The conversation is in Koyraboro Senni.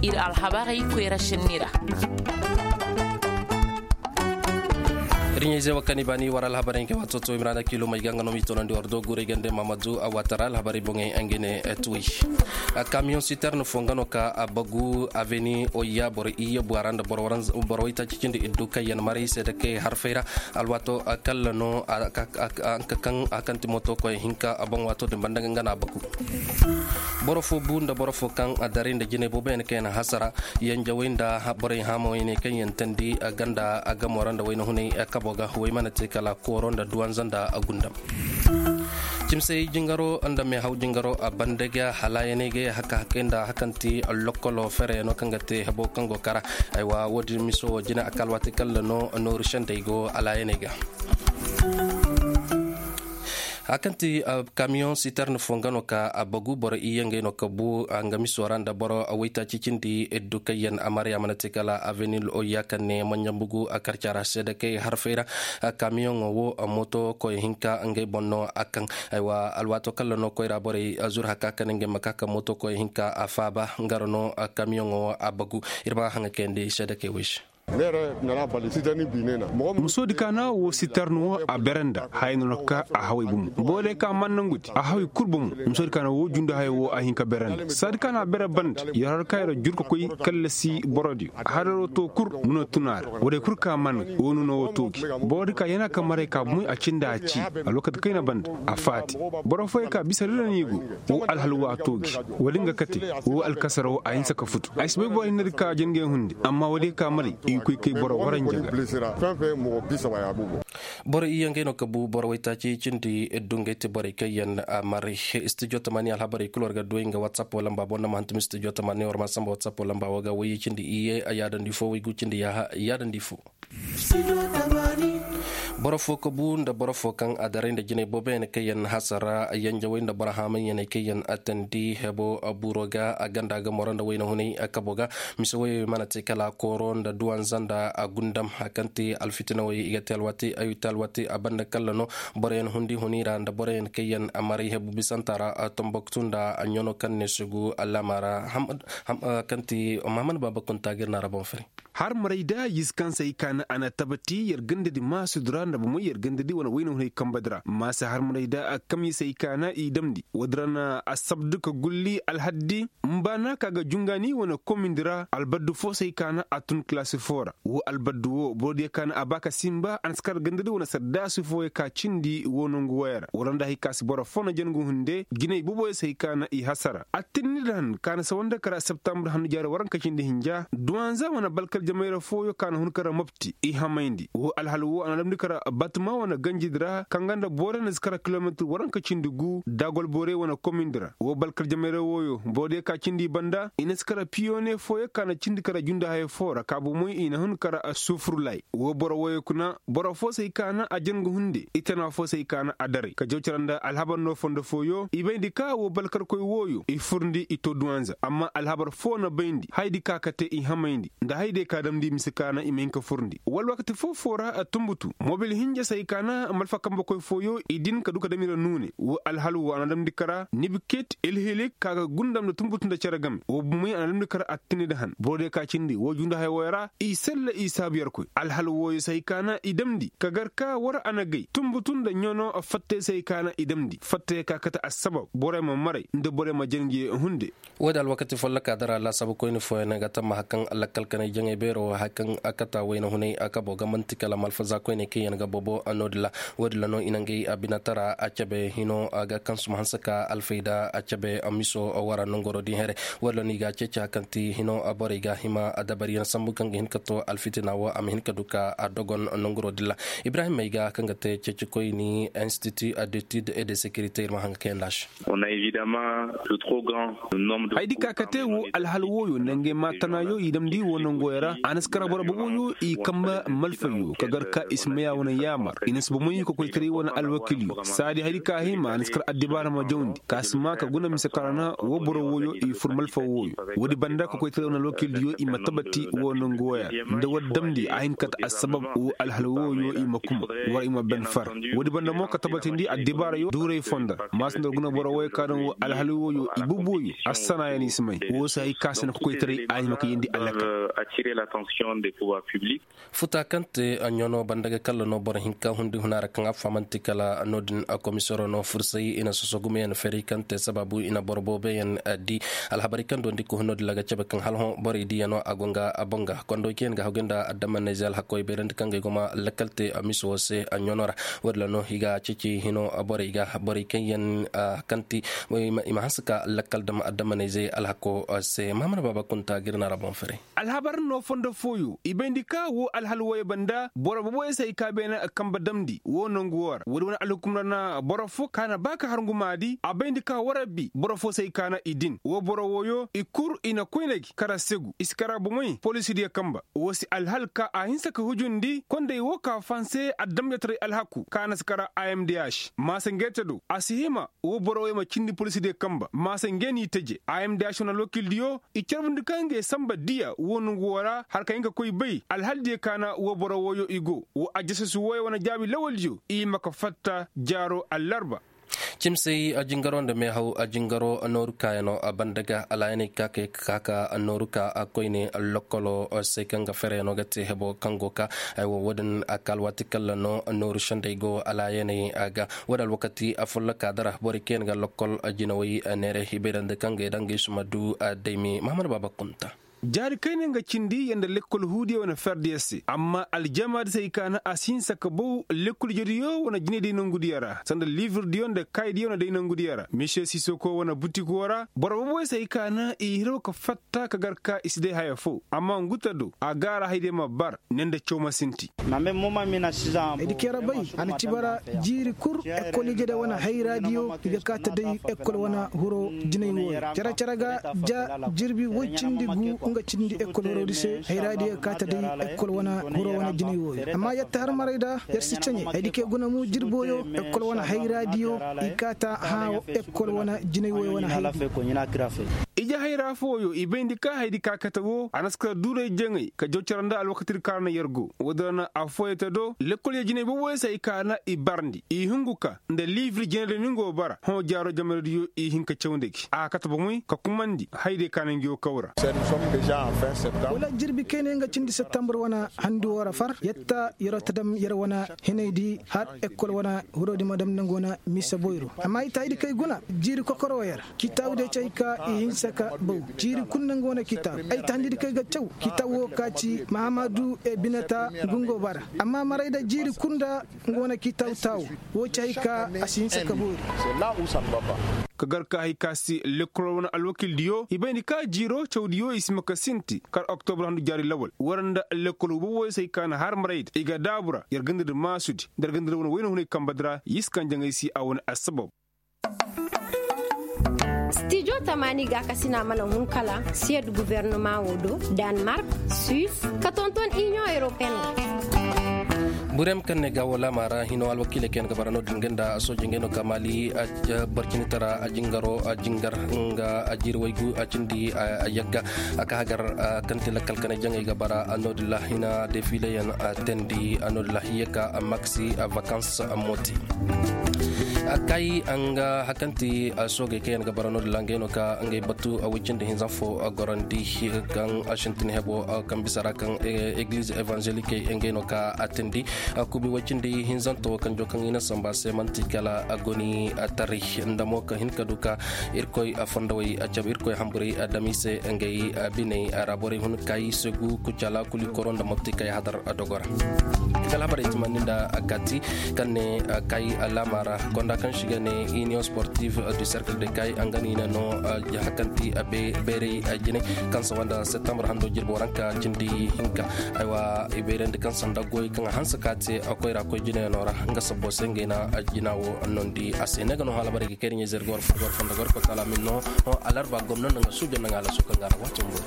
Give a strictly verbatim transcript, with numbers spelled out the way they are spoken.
Ir alhabarey koyra sinni ra. Riɲey ze wakani bani war alhabarey ke wato to imrana kilo mai ganga no mi tonandi war do gure gande mamadu a watara alhabarey boŋey angene tuwi. Kamiyoŋ siterne fo nga no ka a bagu aveni oya boro iya buwara nda boro wayta cicindi iddu kayyan maray se da kay harfey ra. Alwato kalla no a ka kaŋ a kaŋ ti moto koy hinka a boŋ wato din banda nga na a bagu. Boro fo bu nda boro fo kaŋ a daray nda jinay boobo yaŋ kaŋ yaŋ hasara. Yanjawey nda borey haamawey ne kaŋ yaŋ tandi ganda a gamo ra nda wayna hunay kabo ga way mana te kala kooro nda duwanza nda a gundam. Cimsey jingaro nda meehaw jingaro a banda ga halaayaney ga ye haka hakey nda hakanti lokkolo fereyaŋo kaŋ ga te hebo kaŋ go kara. Aywa wo- din miso wo jina a ka alwaati kalla no nooru sendey go alaayaney ga. A kaŋ ti kamiyoŋ siterne fo nga no ka a bagu boro iyye ngey no ka bu nga miso ra nda boro waytaaci cindi iddu kaŋ yaŋ a marya mana te kala avenil oya kaŋ ne manɲambugu a karcara se da kay harfey ra. Kamiyoŋo wo moto koy hinka ngey boŋ no a kaŋ. Aywa alwaato kalla no koyra borey zur haka kaŋ ngey ma ka ka moto koy hinka a faaba nga ra no. Kamiyoŋo wo a bagu ir ma haŋa kayandi se da kay wey se. Musoodi ka na wo sitarni wo a bere nda haya no na ka a haway bomo boro day ka man nangudi a haway kul bomo. Musoodi ka na wo jundu haya wo a hin ka bere nda saadi ka na a bere banda yer har ka yer jur ka koy kallasi borodiyo. Hararo to kul nuna tuna ra wo day kul ka man wo nuna wo toogi. Boro di ka yana ka maray ka bomoy a cindi a ci a lookati kayna banda a faati. Boro fooyey ka bisa dira no i go. Wo alhal wo a toogi. Wo- din ga kate wo alkasaro a hinsa ka futu ay si bay boro hinne di ka jangey hunde amma wo- din ka maray i ga koy kay boro waranja ga. Boro iyye ngey no ka bu boro waytaaci cindi iddu ngey ti borey kaŋ yaŋ a maray. Studio tamani alhabarey kul war ga duwey nga whatsapp wo lamba boŋ nda ma hantum studio tamani war ma samba whatsapp wo lamba wo ga wayye cindi iyye a yaadandi fo waygu cindi yaaha yaadandi fo. Boro fo ka bu nda boro fo kaŋ a daray nda jinay boobo yaŋ kaŋ yaŋ hasara yanjawey nda boro haamay yaŋ kaŋ yaŋ a tandi hebo buro ga a ganda ga moro nda wayna hunay kabo ga. Mise woyey mana te kala kooro nda duwanza nda a gundam a kaŋ te alfitina woyey i ga te alwaati a banda kalla no. Boro yaŋ hundi huni ra nda boro yaŋ kaŋ yaŋ a maray hebu bisanta ra. Tomboktu nda a ɲano kaŋ ne sugu alaama ra kaŋ te mahamad baaba kunta ga ir na ra boŋ fari. Har maray da yize kaŋ se ay kaana a na tabati yer gandadi maasudi ra nda bomoy yer gandadi wane wayna hunay kambadi ra maasa har maray da a kamyi se ay kaana i damndi woodi ra na a sabdu ka gulli alhaddi. Mbaana ka ga jungaani wane komindi ra albaddu fo se ay kaana a tun kalaasi fo ra wo albaddu wo borodiyo kaana a ba ka sinba a na si kar gandadi wane saddaasi fooyo ka cindi wo nongu woyo ra wala nda hay ka si boro fo na jangu hunde jinay boboyo se ay kaana i hasara attinni da han kaana sawanda kara septambur hannu jaari waranka cindi hinja duwanza wane balkar jamayra fooyo ka na hun kara mopti i hamayndi wo alhal wo a na damndi kara batuma wane ganjidi ra kaŋ ga nda boro na si kara kilometir waranka cindi gu dagol borey wane komindi ra wo balkar jamayra wooyo borodiyo ka cindi i banda i na si kara piyone fooyo ka na cindi kara junda hayo foo ra ka bomoy i na hun kara sufurlay wo boro wooyo kuna boro foo se ay kaana a jangu hunde i tana foo se ay kaana a daray ka jaw cara nda alhabar no fondo fooyo i bayndi ka wo balkarkoy wooyo i furndi i to duwanza amma alhabar foo na bayndi haydi ka kate i hamayndi nda haydiyo ka damndi mise kaana i ma hin ka furndi wala wakati foo foo ra a tunbutu mobil hinja se ay kaana malfa kambakoy fooyo i din ka du ka dam i ra nuune wo alhal wo a na damndi kara nibiket ilhilik ka ga gundam nda tunbutu nda cere game wo bumey a na damndi kara attini nda han borodiyo ka cindi wo jundu haya wooyo ra i sella i saabu yerkoy alhal wooyo se ay kaana i damndi ka gar ka war a na gay tunbutu nda ɲano fattey se ay kaana i damndi fattey ka kate assabab borey ma maray nda borey ma jangiye hunde. Woodi alwakati folloka dara laasaabu koyne fooyaŋ ga tamma hari kaŋ lakkal kanay jaŋay beero hari kaŋ a kata wayna hunay a kabo ga man'ti kala malfaza koyne kaŋ yaŋ ga bobo noodin ra. Woodin ra no i na ngey a binatara a cabe hino a ga kaŋ suma hanse ka alfayda a cabe miso wara nongoro din here. Woodin ra no i ga a ceeci hari kaŋ ti hino borey ga hima a dabariyaŋ sambu kaŋ ga hin ka to alfitina wo a ma hin ka du ka a dogon nongoro din ra. Ibrahim may ga kaŋ ga te ceecikoyni institut d'étude et de sécurité ir ma haŋ ga kayandi a se. Haydi ka kate wo alhal wooyo nangey maatanaayo i damndi wo nongoyo ra. A na si kara boro boboyo i kamba malfayo ka gar ka i si maya wane yaamar i na si bomey ka koytaray wane alwakilyo saadi hari ka hima a na si kara addibaara ma jawndi ka si maa ka guna mise ka ra na wo boro wooyo i fur malfa wooyo. Woodi banda ka koytaray wane alwakilyo i ma tabati wo nangu wooyo ra nda war damndi a hin kate assabab wo alhal wooyo i ma kuma war i ma ben far. Woodi banda mo ka tabatindi addibaarayo duuray fondo ra maasa nda war guna boro wooyo ka daŋ wo alhal wooyo i bubuwayo assanayaŋ i si may woo se hay ka se na ka koytaray a hima ka yeendi alakal. Futa kaŋ te a ɲono banda ga kalla no boro hinka hundi huna ra kaŋ a fahamanti kala no-din a komisero no fursay i na soso gumayaŋ ferey kaŋ te sabaabu i na boro booboyaŋ di. Alhabarey kaŋ dondi ka hun no-din ra ga cabe kaŋ hala hõ borey diyaŋo a go nga a boŋ ga kondoy kaŋ yaŋ ga hagu nda adammaney ze alhakoy bayrandi kaŋ ga ay go ma lakkal te a miso wo se a ɲono ra. Wo-din ra no i ga ceeci hino borey ga borey kaŋ yaŋ kaŋ ti i ma hanse ka lakkal dam adammaney ze alhako se mahamana baaba kunta ga ir na ra boŋ ferey. Alhabar no fondo fooyo i bayndi ka wo alhal wooyo banda boro boboyo se hay ka beene kambe damndi wo nangu woo ra woodi wane alhukum ra na boro fo ka na ba ka har ngumaadi a bayndi ka warabbi boro fo se hay ka na i din wo boro wooyo i kul i na koyne gi kara segu i si kara bomey polisidiyo kamba. Woo se alhal ka a hinsa ka hujundi kondey woo ka fahanse adamjataray alhaku ka na si kara a m d h maasa ngeete do a si hima wo boro wooyo ma cindi polisidiyo kamba maasa ngee n'i teje a m d h wane alwakildiyo i carbundi ka ngey samba diya woo nongu woo ra har ka hin ka koy bay alhaldiyo ka na woo boro wooyo i go woo ajasas wooyo wane jaabi lawaldiyo i ma ka fatta jaaro allarba. Cimsey a jingaro nda meehaw a jingaro nooru kaayanoo a banda ga alaayaney ka kay ka ka nooru ka a koyne lokkolo se kaŋ ga fereyanoo ga te hebo kaŋ go ka. Ay wo woodin a ka alwaati kalla no nooru sendey go alaayaney a ga. Woodin alwakati a follokaa dara borey kaŋ yaŋ ga lokkol jinawey neere i bay ra nda kaŋ ga i daŋ ga i suma du a daymi mahamad baaba kunta. Jaari kayna nga cindi yanda lekkol huudiyo wane ferdiyo se amma aljamaadi se i kaana a si hinsa ka bow lekkol ijediyo wane jinay day nongudiyo ra sanda liivirdiyo nda kaaydiyo wane day nongudiyo ra misiye sisoko wane butik woo ra boro boboyo se i kaana i hiraw ka fatta ka gar ka i si day haya foo amma ngu ta do a gaara haydiyo ma bar ne nda caw ma sinti. Ay di kay ra bay a na ci bara jiiri kul ekol ijediyo wane hayraadiyo i ga kaa ta day ekol wane hiro jinay wooyo care care ga ja jirbi woy cindi gu nga cindi ekol hiro di se hayraadiyo ga kaa ta day ekol wane hiro wane jinay wooyo amma yer ta har maray da yer si caɲe ay di kay guna mu jirbooyo ekol wane hayraadiyo i kaa ta hã ekol wane jinay wooyo wane hayraadiyo. Ije hayra fooyo i bayndi ka haydi ka kate woo a na si kate duuray jaŋay ka jaw care nda alwakatidi ka ra na yer go woodin ra na affooyey te do lekkol yer jinay boboyo se ay kaana i barndi i hungu ka nda liibir jinay da ni nga woo bara hõ jaaro jamanaydiyo i hin ka caw nda gi a kate bomey ka kumandi haydiyo ka na ngi woo kaw ra. Wala jirbi kayna nga cindi septambur wane handi woo ra far yer ta yeroo ta dam yer wane hinaydi har ekol wane hiroodi ma dam nda nga wane mise boyro amma ay ta ay di kay guna jiiri kokoro yer kitaabu diyo ci ay ka i hinsa ka baw jiiri kul nda nga wane kitaabu ay ta handi di kay ga caw kitaabu woo ka ci mahamadu e binata ngu nga woo bara amma maray da jiiri kul nda nga wane kitaabu taawu woo ci ay ka a si hinsa ka boori. Ka gar ka hay ka se lekkol wane alwakildiyo i bayndi ka jiiroo cawdiyo i si ma ka sinti kar oktobur handu jaari lawal war nda lekkol woo boboyo se ay ka na har maray da i ga daabu ra yer ganda nda maasudi nda yer ganda nda wane wayna hunay kambadi ra yer si kaŋ jaŋay se a wane assabab. Stijo tamaani gaakasina mana hun kala siyed gubernama woo do, danmark, suis, ka tonton iniyoŋ europeen ga. Burem kaŋ ne ga woo laama ra hino alwakiiley kaŋ yaŋ ga bara no-din ga nda sooji ngey no ka maali barcinitara a jingaro a jingar nga a jiiri waygu a cindi a yagga a ka hagar kaŋ ti lakkal kanay jaŋey ga bara no-din ra hina defileyaŋ teendi no-din ra hiye ka maksi vakans moti. Kay nga hakanti soogey kaŋ yaŋ ga bara no-din ra ngey no ka ngey batu woy cindi hinza fo gorandi kaŋ sintin hebo kaŋ bisa ra kaŋ egliz evanzelikey ngey no ka a tindi kubi woy cindi hinzanto kanjo kaŋ i na samba se manti kala goni taray nda mo ka hin ka du ka irkoy fondowey cabe irkoy hamburay dam i se ngey biney ra borey hun kay segu kucala kuli koro nda mopti kay hadar dogo ra. Kala habarey timandi nda kati kaŋ ne kay laama ra gonda kaŋ si ga ne union sportive du cercle de kay nga no i na no hakanti beerey jinay kaŋ sawanda septembre hando jirbo ranka cindi hinka. Aywa i bayrandi kaŋ sanda goy kaŋ a hanse ka te koyra koy jinayaŋo ra nga sabbo se ngey na jina wo nondi a se ne ga no hala barey ga kayri ɲey zergor fondogor ko tala min no alarba gomno nanga sujo nanga alasu kaŋ ga ra wato mbo.